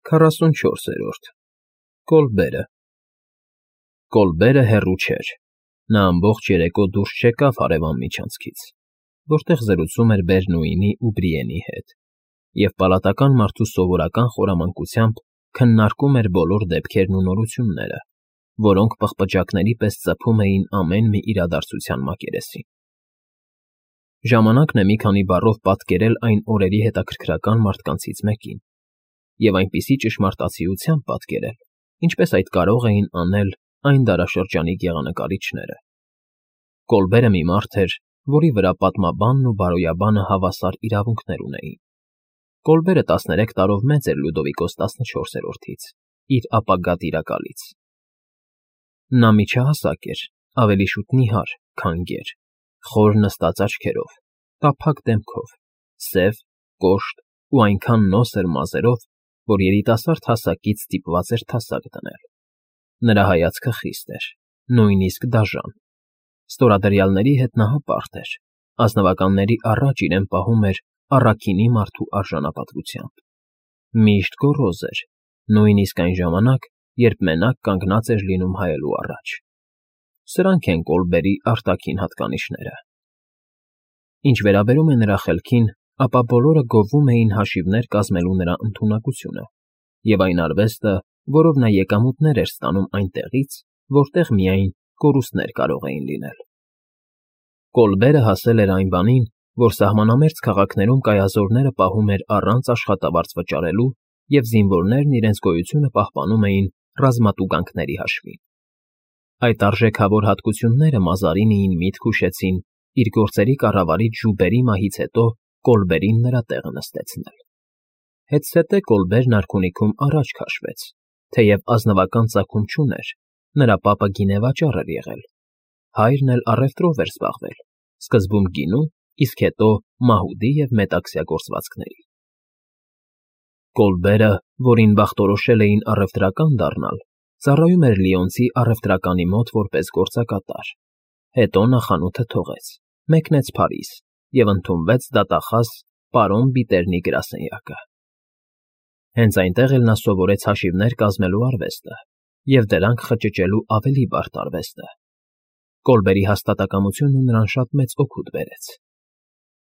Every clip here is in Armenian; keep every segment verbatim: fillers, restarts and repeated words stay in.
քառասունչորսերորդ Կոլբերը Կոլբերը հեռու չէր, նա ամբողջ երեկո դուրս չեկավ հարևան միջանցքից, որտեղ զրուցում էր Բերնուինի ու Բրիենի հետ, և պալատական մարդու սովորական խորամանկությամբ քննարկում էր բոլոր դեպքերն ու նորությունները, որոնք պղպջակների պես ծփում էին ամեն մի իրադարձության մակերեսին։ Ժամանակն է մի քանի բառով պատկերել այն օրերի հետաքրքրական մարդկանցից մեկին, և այնպիսի ճշմարտացիությամբ պատկերել, ինչպես այդ կարող էին անել այն դարաշրջանի գեղանկարիչները։ Կոլբերը մի մարդ էր, որի վրա պատմաբանն ու բարոյաբանը հավասար իրավունքներ ունեին։ Կոլբերը տասներեք տարով մեծ էր Լյուդովիկոս տասնչորսերորդից, իր ապագա տիրակալից։ Նա միջահասակ էր, ավելի շուտ նիհար, քան գեր, խոր նստած աչքերով, տափակ դեմքով, սև, կոշտ ու այնքան նոսր մազերով, որ երիտասարդ հասակից ստիպված էր թասակ դնել։ Նրա հայացքը խիստ էր, նույնիսկ դաժան։ Ստորադրյալների հետ նա հպարտ էր, ազնվականների առաջ իրեն պահում էր առաքինի մարդու արժանապատվությամբ։ Միշտ գոռոզ էր, նույնիսկ այն ժամանակ, երբ մենակ կանգնած էր լինում հայելու առաջ։ Սրանք են Կոլբերի արտաքին հատկանիշները։ Ինչ վերաբերում է նրա խելքին, ապա բոլորը գովում էին հաշիվներ կազմելու նրա ընդունակությունը և այն արվեստը, որով նա եկամուտներ էր ստանում այնտեղից, որտեղ միայն կորուստներ կարող էին լինել։ Կոլբերը հասել էր այն բանին, որ սահմանամերձ քաղաքներում կայազորները պահում էր առանց աշխատավարձ վճարելու և զինվորներն իրենց գոյությունը պահպանում էին ռազմատուգանքների հաշվին։ Այդ արժեքավոր հատկությունները Մազարինիին միտք հուշեցին իր գործերի կառավարիչ Ժուբերի մահից հետո Կոլբերին նրա տեղը նստեցնել։ Հետզհետե Կոլբերն արքունիքում առաջ քաշվեց, թեև ազնվական ծագում չուներ, նրա պապը գինեվաճառ էր եղել, հայրն էլ առևտրով էր զբաղվել, սկզբում գինու, իսկ հետո մահուդի և մետաքսյա գործվածքների։ Կոլբերը, որին բախտորոշել էին առևտրական դառնալ, ծառայում էր լիոնցի առևտրականի մոտ որպես գործակատար, հետո նա խանութը թողեց, մեկնեց Փարիզ և ընդունվեց դատախազ պարոն Բիտերնի գրասենյակը։ Հենց այնտեղ էլ նա սովորեց հաշիվներ կազմելու արվեստը և դրանք խճճելու ավելի բարդ արվեստը։ Կոլբերի հաստատակամությունը նրան շատ մեծ օգուտ բերեց։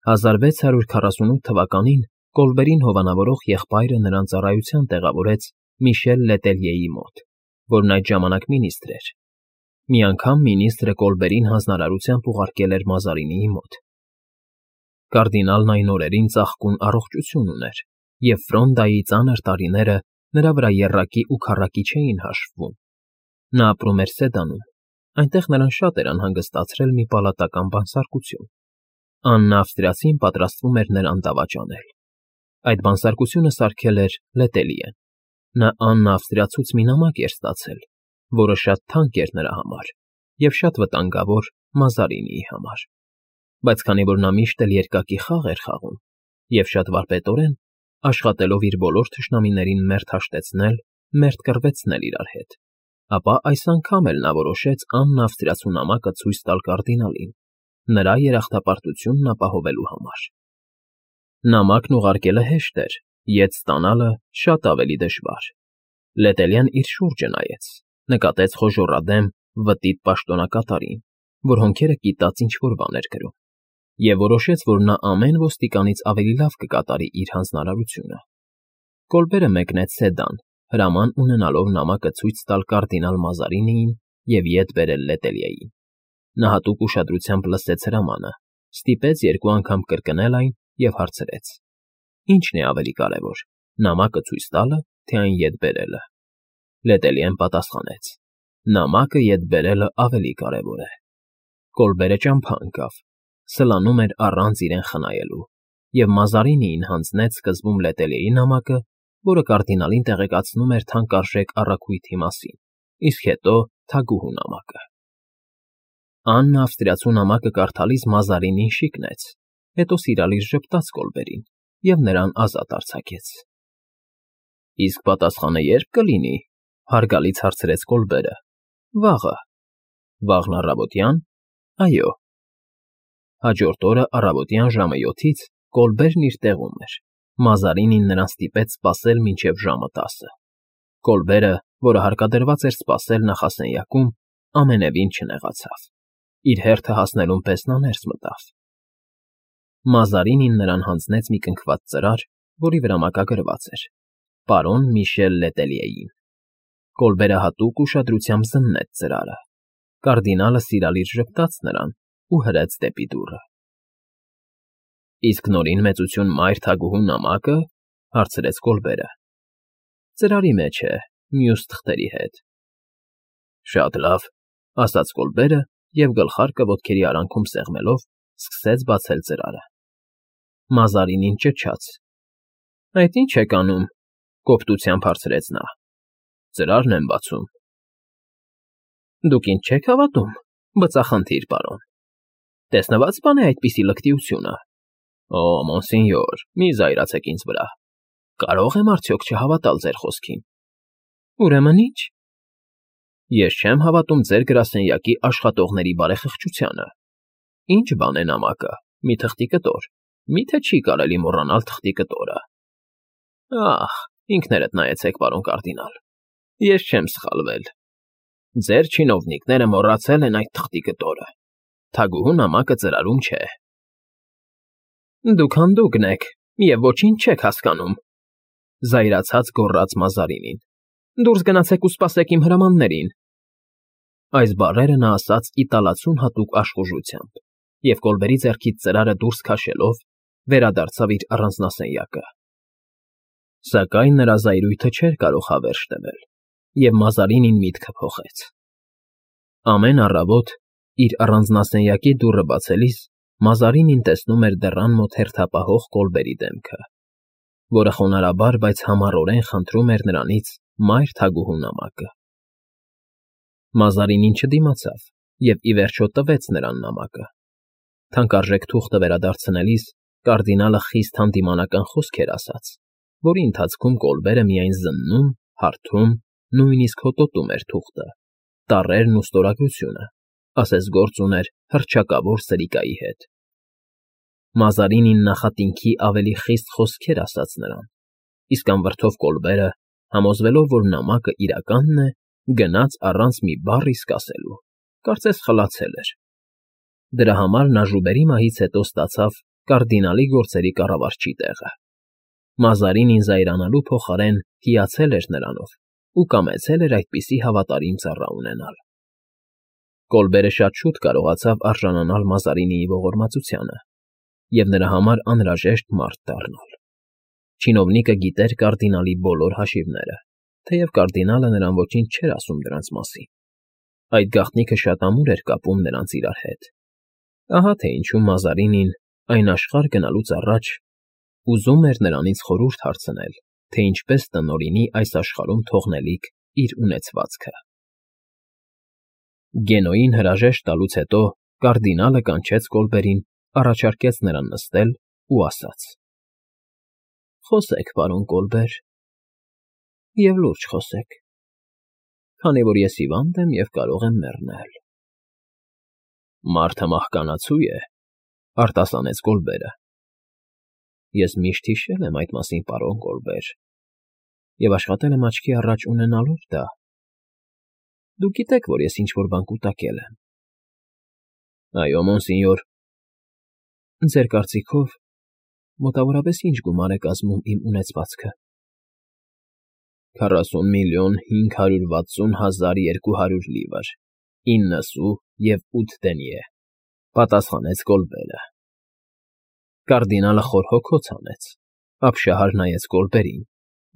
հազար վեց հարյուր քառասունութ թվականին Կոլբերին հովանավորող եղբայրը նրան ծառայության տեղավորեց Միշել Լետելյեի մոտ, որն այդ ժամանակ մինիստր էր։ Մի անգամ մինիստրը Կոլբերին հանձնարարությամբ ուղարկել էր Մազարինիի մոտ։ Կարդինալն այն օրերին ծաղկուն առողջություն ուներ, և Ֆրոնդայի ծանր տարիները նրա վրա եռակի ու քառակի չէին հաշվվում։ Նա ապրում էր Սեդանում, այնտեղ նրան շատ էր անհանգստացրել մի պալատական բանսարկություն։ Աննա Ավստրիացին պատրաստվում էր նրան դավաճանել։ Այդ բանսարկությունը սարքել էր Լետելիեն։ Նա Աննա Ավստրիացուց մի նամակ էր ստացել, որը շատ թանկ էր նրա համար և շատ վտանգավոր Մազարինիի համար, բայց քանի որ նա միշտ էլ երկակի խաղ էր խաղում և շատ վարպետորեն, աշխատելով իր բոլոր թշնամիներին մերթ հաշտեցնել, մերթ կռվեցնել իրար հետ, ապա այս անգամ էլ նա որոշեց Աննա Ավստրիացու նամակը ցույց տալ կարդինալին, նրա երախտապարտությունն ապահովելու համար։ Նամակն ուղարկելը հեշտ էր, ետ ստանալը շատ ավելի դժվար։ Լետելյան իր շուրջը նայեց, նկատեց խոժոռադեմ, վտիտ պաշտոնակատարին, որ հոնքերը կիտած ինչ֊որ բան էր գրում, և որոշեց, որ նա ամեն ոստիկանից ավելի լավ կկատարի իր հանձնարարությունը։ Կոլբերը մեկնեց Սեդան, հրաման ունենալով նամակը ցույց տալ կարդինալ Մազարինիին և ետ բերել Լետելյեին։ Նա հատուկ ուշադրությամբ լսեց հրամանը, ստիպեց երկու անգամ կրկնել այն և հարցրեց. «Ի՞նչն է ավելի կարևոր, նամակը ցույց տալը, թե այն ետ բերելը»։ Լետելյեն պատասխանեց. «Նամակը ետ բերելը ավելի կարևոր է»։ Կոլբերը ճամփա ընկավ, սլանում էր առանց իրեն խնայելու, և Մազարինիին հանձնեց սկզբում Լետելյեի նամակը, որը կարդինալին տեղեկացնում էր թանկարժեք առաքույթի մասին, իսկ հետո թագուհու նամակը։ Աննա Ավստրիացու նամակը կարդալիս Մազարինին շիկնեց, հետո սիրալիր ժպտաց Կոլբերին և նրան ազատ արձակեց։ «Իսկ պատասխանը ե՞րբ կլինի», հարգալից հարցրեց Կոլբերը։ «Վաղը»։ «Վաղն առավոտյա՞ն»։ «Այո»։ Հաջորդ օրը առավոտյան ժամը յոթից Կոլբերն իր տեղում էր, Մազարինին նրան ստիպեց սպասել մինչև ժամը տասը։ Կոլբերը, որը հարկադրված էր սպասել նախասենյակում, ամենևին չնեղացավ. իր հերթը հասնելուն պես նա ներս մտավ։ Մազարինին նրան հանձնեց մի կնքված ծրար, որի վրա մակագրված էր. «Պարոն Միշել Լետելիեին»։ Կոլբերը հատուկ ուշադրությամբ զննեց ծրարը։ Կարդինալը սիրալիր ժպտաց նրան ու հրեց դեպի դուռը։ «Իսկ Նորին մեծություն մայր թագուհու նամակը,֊ հարցրեց Կոլբերը։ Ծրարի մեջ է, մյուս թղթերի հետ»։ «Շատ լավ,֊ ասաց Կոլբերը և գլխարկը ոտքերի արանքում սեղմելով սկսեց բացել ծրարը։ Մազարինին ճչաց. «Այդ ի՞նչ եք անում,֊ կոպտությամբ հարցրեց նա։ «Ծրարն եմ բացում»։ «Դուք ինձ չեք հավատում, բծախնդիր, պարոն. տեսնվա՞ծ բան է այդպիսի լկտիությունը։ Օ, մոնսենյոր, մի զայրացեք ինձ վրա. կարո՞ղ եմ արդյոք չհավատալ ձեր խոսքին»։ «Ուրեմն ի՞նչ»։ «Ես չեմ հավատում ձեր գրասենյակի աշխատողների բարեխղճությանը։ Ի՞նչ բան է նամակը, մի թղթի կտոր, մի՞թե չի կարելի մոռանալ թղթի կտորը։ Ահ, ինքներդ նայեցեք, պարոն կարդինալ, ես չեմ սխալվել։ Ձեր չինովնիկները մոռացել են այդ թղթի կտորը։ Թագուհու նամակը ծրարում չէ»։ «Դուք հանդուգն եք և ոչինչ չեք հասկանում,֊ զայրացած գոռաց Մազարինին։ «Դուրս գնացեք ու սպասեք իմ հրամաններին»։ Այս բառերը նա ասաց իտալացուն հատուկ աշխուժությամբ և Կոլբերի ձեռքից ծրարը դուրս քաշելով վերադարձավ իր առանձնասենյակը։ Սակայն նրա զայրույթը չէր կարող հավերժ տվել, և Մազարինին միտքը փոխեց։ Ամեն առավոտ, իր առանձնասենյակի դուռը բացելիս, Մազարինին տեսնում էր դռան մոտ հերթապահող Կոլբերի դեմքը, որը խոնարհաբար, բայց համառորեն խնդրում էր նրանից մայր թագուհու նամակը։ Մազարինին չդիմացավ և ի վերջո տվեց նրան նամակը։ Թանկարժեք թուղթը վերադարձնելիս կարդինալը խիստ հանդիմանական խոսք էր ասաց, որի ընթացքում Կոլբերը միայն զննում, հարբում, նույնիսկ հոտոտում էր թուղթը, տառերն ու ստորագրությունը, ասես գործ ուներ հռչակավոր սրիկայի հետ։ Մազարինին նախատինքի ավելի խիստ խոսքեր ասաց նրան, իսկ անվրդով Կոլբերը, համոզվելով, որ նամակը իրականն է, գնաց առանց մի բառ իսկ ասելու, կարծես խլացել էր։ Դրա համար նա ժուբերի մահից հետո ստացավ կարդինալի գործերի կառավարչի տեղը։ Մազարինին զայրանալու փոխարեն հիացել էր նրանով ու կամեցել էր այդպիսի հավատարիմ ծառա ունենալ։ Կոլբերը շատ շուտ կարողացավ արժանանալ Մազարինիի ողորմածությանը և նրա համար անհրաժեշտ մարդ դառնալ։ Չինովնիկը գիտեր կարդինալի բոլոր հաշիվները, թեև կարդինալը նրան ոչինչ չէր ասում դրանց մասին։ Այդ գաղտնիքը շատ ամուր էր կապում նրանց իրար հետ։ Ահա թե ինչու Մազարինին այն աշխարհ գնալուց առաջ ուզում էր նրանից խորհուրդ հարցնել, թե ինչպես տնօրինի այս աշխարհում թողնելիք իր ունեցվածքը։ Գենոյին հրաժեշտ տալուց հետո կարդինալը կանչեց Կոլբերին, առաջարկեց նրան նստել ու ասաց. «Խոսեք, պարոն Կոլբեր, և լուրջ խոսեք, քանի որ ես հիվանդ եմ և կարող եմ մեռնել»։ «Մարդը մահկանացու է,֊ արտասանեց Կոլբերը։ «Ես միշտ հիշել եմ այդ մասին, պարոն Կոլբեր, և աշխատել եմ աչքի առաջ ունենալով դա։ Դուք գիտեք, որ ես ինչ֊որ բան կուտակել եմ»։ «Այո, մոնսենյոր»։ «Ձեր կարծիքով մոտավորապես ի՞նչ գումար է կազմում իմ ունեցվածքը»։ «Քառասուն միլիոն հինգ հարյուր վաթսուն հազար երկու հարյուր լիվր, ինը սու և ութ դենյե,֊ պատասխանեց Կոլբերը։ Կարդինալը խոր հոգոց հանեց, ապշահար նայեց Կոլբերին,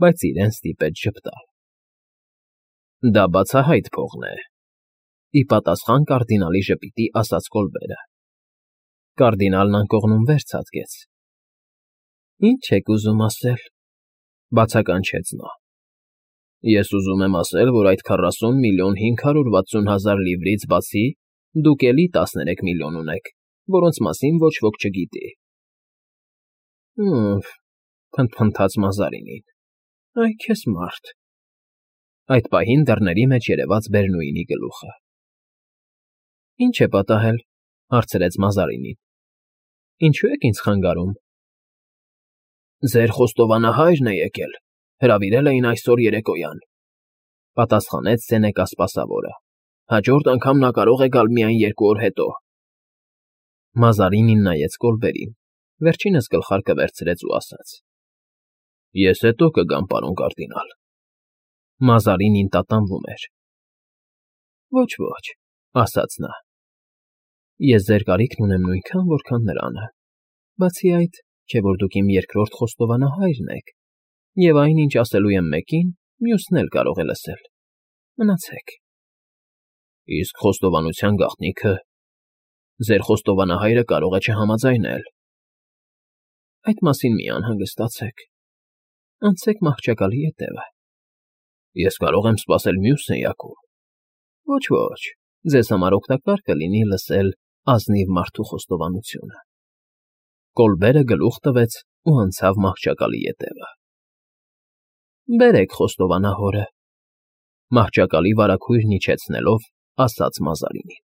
բայց իրեն ստիպեց ժպտալ։ «Դա բացահայտ փողն է,֊ ի պատասխան կարդինալի ժպիտի ասաց Կոլբերը։ Կարդինալն անկողնում վեր ցատկեց։ «Ի՞նչ եք ուզում ասել,֊ բացականչեց նա։ «Ես ուզում եմ ասել, որ այդ քառասուն միլիոն հինգ հարյուր վաթսուն հազար լիվրից բացի դուք էլի տասներեք միլիոն ունեք, որոնց մասին ոչ ոք չգիտի»։ «Հը՜մ,֊ փնթփնթաց Մազարինին,֊ այ քեզ մարդ»։ Այդ պահին դռների մեջ երևաց Բերնուինի գլուխը։ «Ի՞նչ է պատահել,֊ հարցրեց Մազարինին։ Ինչո՞ւ եք ինձ խանգարում»։ Ձեր խոստովանահա՞յրն է եկել, հրավիրել էին այսօր երեկոյան,֊ պատասխանեց Սենեկա սպասավորը։֊ Հաջորդ անգամ նա կարող է գալ միայն երկու օր հետո։ Մազարինին նայեց Կոլբերին, վերջինս գլխարկը վերցրեց ու ասաց. Ես հետո կգամ, պարոն կարդինալ… Մազարինին տատանվում էր։ Ոչ, ոչ, ասաց նա, ես ձեր կարիքն ունեմ նույնքան, որքան նրանը, բացի այդ, չէ՞ որ դուք իմ երկրորդ խոստովանահայրն եք, և այն, ինչ ասելու եմ մեկին, մյուսն էլ կարող է լսել, մնացեք… Իսկ խոստովանության գաղտնիքը… Ձեր խոստովանահայրը կարող է չհամաձայնել… Այդ մասին մի անհանգստացեք, անցեք մահճակալի ետևը… Ես կարող եմ սպասել մյուս սենյակում… Ոչ, ոչ, ձեզ համար օգտակար կլինի լսել ազնիվ մարդու խոստովանությունը… Կոլբերը գլուխ տվեց ու անցավ մահճակալի ետևը։ Բերեք խոստովանահորը,֊ մահճակալի վարագույրն իջեցնելով ասաց Մազարինին։